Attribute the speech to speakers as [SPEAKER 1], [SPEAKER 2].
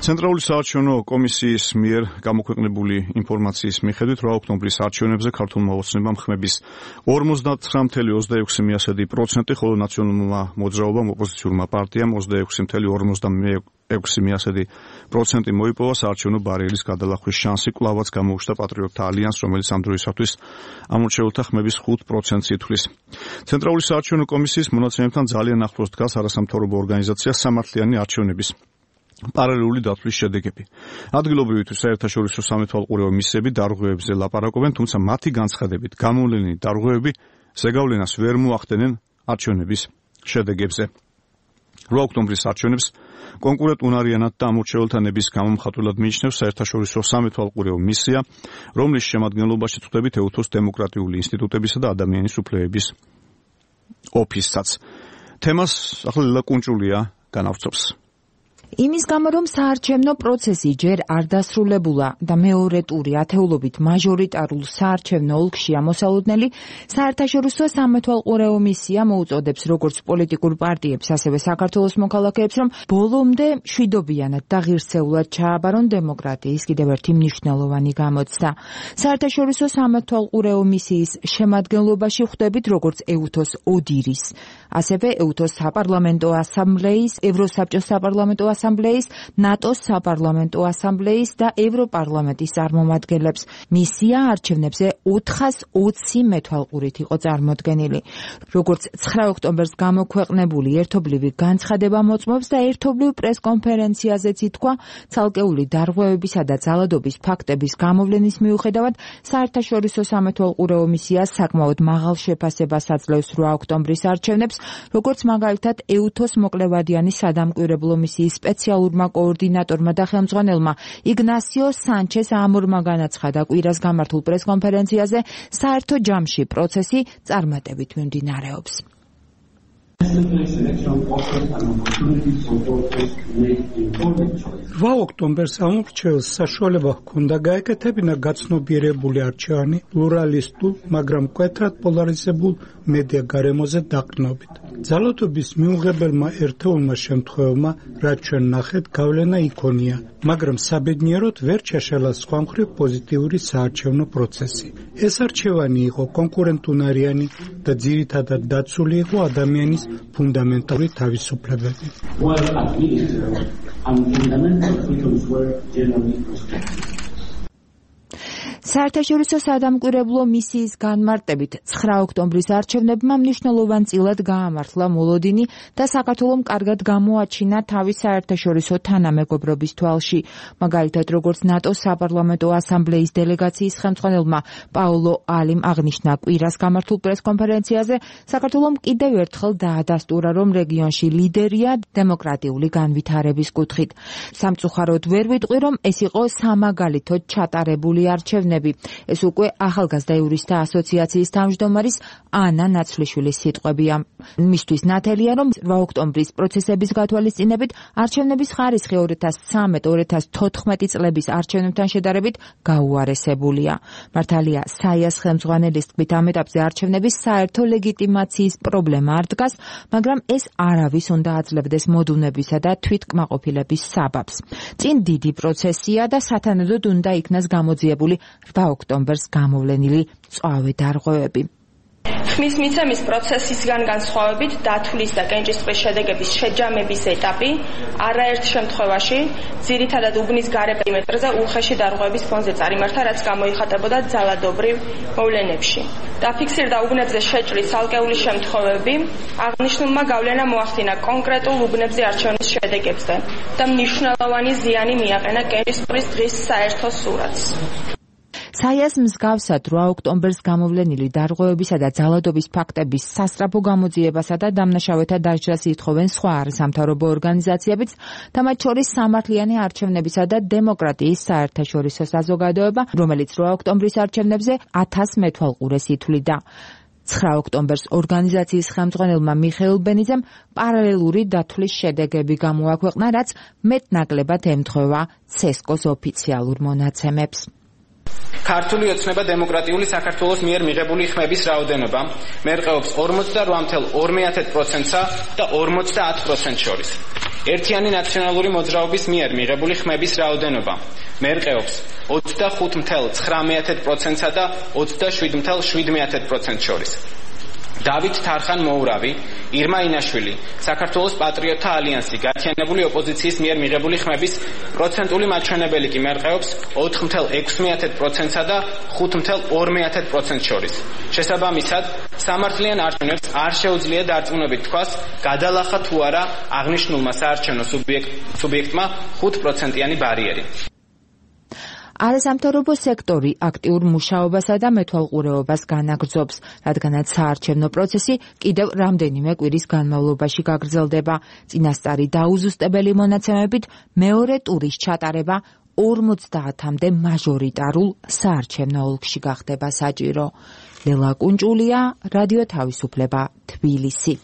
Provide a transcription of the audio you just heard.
[SPEAKER 1] ცენტრალური საარჩევნო კომისიის მიერ გამოქვეყნებული ინფორმაციის მიხედვით 8 ოქტომბრის არჩევნებზე ქართულმა ოცნებამ ხმების 59.26%, ხოლო ნაციონალურმა მოძრაობამ ოპოზიციურმა პარტიამ 26.46% მოიპოვა საარჩევნო ბარიერის გადალახვის შანსი. კვლავაც გამოუჩნდა პატრიოტთა ალიანსს, რომელიც ამ დროისათვის ამორჩეულთა ხმების 5%-ს ითვლის. ცენტრალური საარჩევნო კომისიის მონაცემებთან ძალიან ახლოს დგას არასამთავრობო ორგანიზაცია სამართლიანი არჩევნების პარალელური დათვლის შედეგები. ადგილობრივი თუ საერთაშორისო სამეთვალყურეო მისიები დარღვევებზე ლაპარაკობენ, თუმცა მათი განცხადებით გამოვლენილი დარღვევები ზეგავლენას ვერ მოახდენენ არჩევნების შედეგებზე. 8 ოქტომბრის არჩევნებს კონკურენტუნარიანად და ამორჩეულთა ნების გამომხატვლად მიიჩნევს საერთაშორისო სამეთვალყურეო მისია, რომლის შემადგენლობაში წვდებით ეუთოს დემოკრატიული ინსტიტუტებისა და ადამიანის უფლებების ოფისსაც. თემას ახლა ლელა კუნჭულია განავწობს.
[SPEAKER 2] იმის გამო, რომ საარჩევნო პროცესი ჯერ არ დასრულებულა და მეორე ტური ათეულობით მაჟორიტარულ საარჩევნო ოლქში ამოსალოდნელი, საერთაშორისო სამეთვალყურეო მისია მოუწოდებს როგორც პოლიტიკურ პარტიებს, ასევე საქართველოს მოქალაქეებს, რომ ბოლომდე მშვიდობიანად და ღირსეულად ჩააბარონ დემოკრატიის კიდევ ერთი მნიშვნელოვანი გამოცდა. საერთაშორისო სამეთვალყურეო მისიის შემადგენლობაში ხვდებით როგორც ეუთოს ოდირის, ასევე ეუთოს საპარლამენტო ასამბლეის, ევროსაბჭოს საპარლამენტო ასამბლეის, ნატოს საპარლამენტო ასამბლეის და ევროპარლამენტის წარმომადგენლებს. მისია არჩევნებზე 420 მეთვალყურით იყო წარმოდგენილი. როგორც 9 ოქტომბერს გამოქვეყნებული ერთობლივი განცხადება მოწმობს და ერთობლივ პრესკონფერენციაზეც ითქვა, ცალკეული დარღვევებისა და ძალადობის ფაქტების გამოვლენის მიუხედავად, საერთაშორისო სამეთვალყურეო მისია საკმაოდ მაღალ შეფასებას აძლევს 8 ოქტომბრის არჩევნებს, როგორც მაგალითად ეუთოს მოკლევადიანი სადამკვირვებლო მისიის სპეციალურმა კოორდინატორმა და ხელმძღვანელმა იგნასიო სანჩეს ამორმა განაცხადა კვირას გამართულ პრესკონფერენციაზე, საერთო ჯამში პროცესი წარმატებით მიმდინარეობს.
[SPEAKER 3] 8 ოქტომბერს ამორჩეულს საშუალება ჰქონდა გაეკეთებინა გაცნობიერებული არჩევანი პლურალისტულ, მაგრამ მკვეთრად პოლარიზებულ მედია გარემოზე დაყრდნობით. ძალადობის მიუღებელმა ერთეულმა შემთხვევებმა, რაც ჩვენ ნახეთ, გავლენა იქონია, მაგრამ საბედნიეროდ ვერ ჩაშალა სხვა მხრივ პოზიტიური საარჩევნო პროცესი. ეს არჩევანი იყო კონკურენტუნარიანი და ძირითადად დაცული იყო ადამიანის ფუნდამენტური თავისუფლებები.
[SPEAKER 2] საერთაშორისო სადამკვირვებლო მისიის განმარტებით 9 ოქტომბრის არჩევნებმა მნიშვნელოვანწილად გაამართლა მოლოდინი და საქართველომ კარგად გამოაჩინა თავის საერთაშორისო თანამეგობრობის თვალში. მაგალითად, როგორც ნატოს საპარლამენტო ასამბლეის დელეგაციის ხელმძღვანელმა პაოლო ალიმ აღნიშნა კვირას გამართულ პრესკონფერენციაზე, საქართველომ კიდევ ერთხელ დაადასტურა, რომ რეგიონში ლიდერია დემოკრატიული განვითარების კუთხით. სამწუხაროდ ვერ ვიტყვი, რომ ეს იყო სამაგალითოდ ჩატარებული არჩევნები. ეს უკვე ახალგაზრდა იურისტთა ასოციაციის თავმჯდომარის ანა ნაცვლიშვილის სიტყვებია. მისთვის ნათელია, რომ 8 ოქტომბრის პროცესების გათვალისწინებით არჩევნების ხარისხი 2013-2014 წლების არჩევნებთან შედარებით გაუარესებულია. მართალია, საიას ხელმძღვანელის თქმით, ამ ეტაპზე არჩევნების საერთო ლეგიტიმაციის პრობლემა არ დგას, მაგრამ ეს არავის უნდა აძლევდეს მოდუნებისა და თვითკმაყოფილების საბაბს. წინ დიდი პროცესია და სათანადოდ უნდა იქნას გამოძიებული 8 ოქტომბერს გამოვლენილი მწვავე დარღვევები.
[SPEAKER 4] ხმის მიცემის პროცესისგან განსხვავებით დათვლის და კენჭისყრის შედეგების შეჯამების ეტაპი არაერთ შემთხვევაში ძირითადად უბნის გარე პერიმეტრზე უხეში დარღვევების ფონზე წარიმართა, რაც გამოიხატებოდა ძალადობრივ მოვლენებში. დაფიქსირდა უბნებზე შეჭრის ცალკეული შემთხვევები, აღნიშნულმა გავლენა მოახდინა კონკრეტულ უბნებზე არჩევნის შედეგებზე და მნიშვნელოვანი ზიანი მიაყენა კენჭისყრის დღის საერთო სურათს.
[SPEAKER 2] საიას მსგავსად 8 ოქტომბერს გამოვლენილი დარღვევებისა და ძალადობის ფაქტების სასწრაფო გამოძიებასა და დამნაშავეთა დასჯას ითხოვენ სხვა არასამთავრობო ორგანიზაციებიც და მათ შორის სამართლიანი არჩევნებისა და დემოკრატიის საერთაშორისო საზოგადოება, რომელიც 8 ოქტომბრის არჩევნებზე 1000 მეთვალყურეს ითვლიდა. 9 ოქტომბერს ორგანიზაციის ხელმძღვანელმა მიხეილ ბენიძემ პარალელური დათვლის შედეგები გამოაქვეყნა, რაც მეტნაკლებად ემთხვევა ცესკოს ოფიციალურ მონაცემებს.
[SPEAKER 5] ქართული ოცნება დემოკრატიული საქართველოს მიერ მიღებული ხმების რაოდენობა მერყეობს 48.2%-ს და 50% შორის. ერთიანი ნაციონალური მოძრაობის მიერ მიღებული ხმების რაოდენობა მერყეობს 25.9%-სა და 27.7% შორის. დავით თარხან-მოურავი, ირმა ინაშვილი, საქართველოს პატრიოტთა ალიანსი, გაერთიანებული ოპოზიციის მიერ მიღებული ხმების პროცენტული მაჩვენებელი კი მერყეობს 4.6%-სა და 5.2% შორის. შესაბამისად, სამართლიან არჩევნებს არ შეუძლია დარწმუნებით თქვას, გადალახა თუ არა აღნიშნულმა საარჩევნო სუბიექტმა 5%-იანი ბარიერი.
[SPEAKER 2] არასამთავრობო სექტორი აქტიურ მუშაობასა და მეთვალყურეობას განაგრძობს, რადგანაც საარჩევნო პროცესი კიდევ რამდენიმე კვირის განმავლობაში გაგრძელდება. წინასწარი დაუზუსტებელი მონაცემებით მეორე ტურის ჩატარება 50-მდე მაჟორიტარულ საარჩევნო ოლქში გახდება საჭირო. ლელა კუნჭულია, რადიო თავისუფლება, თბილისი.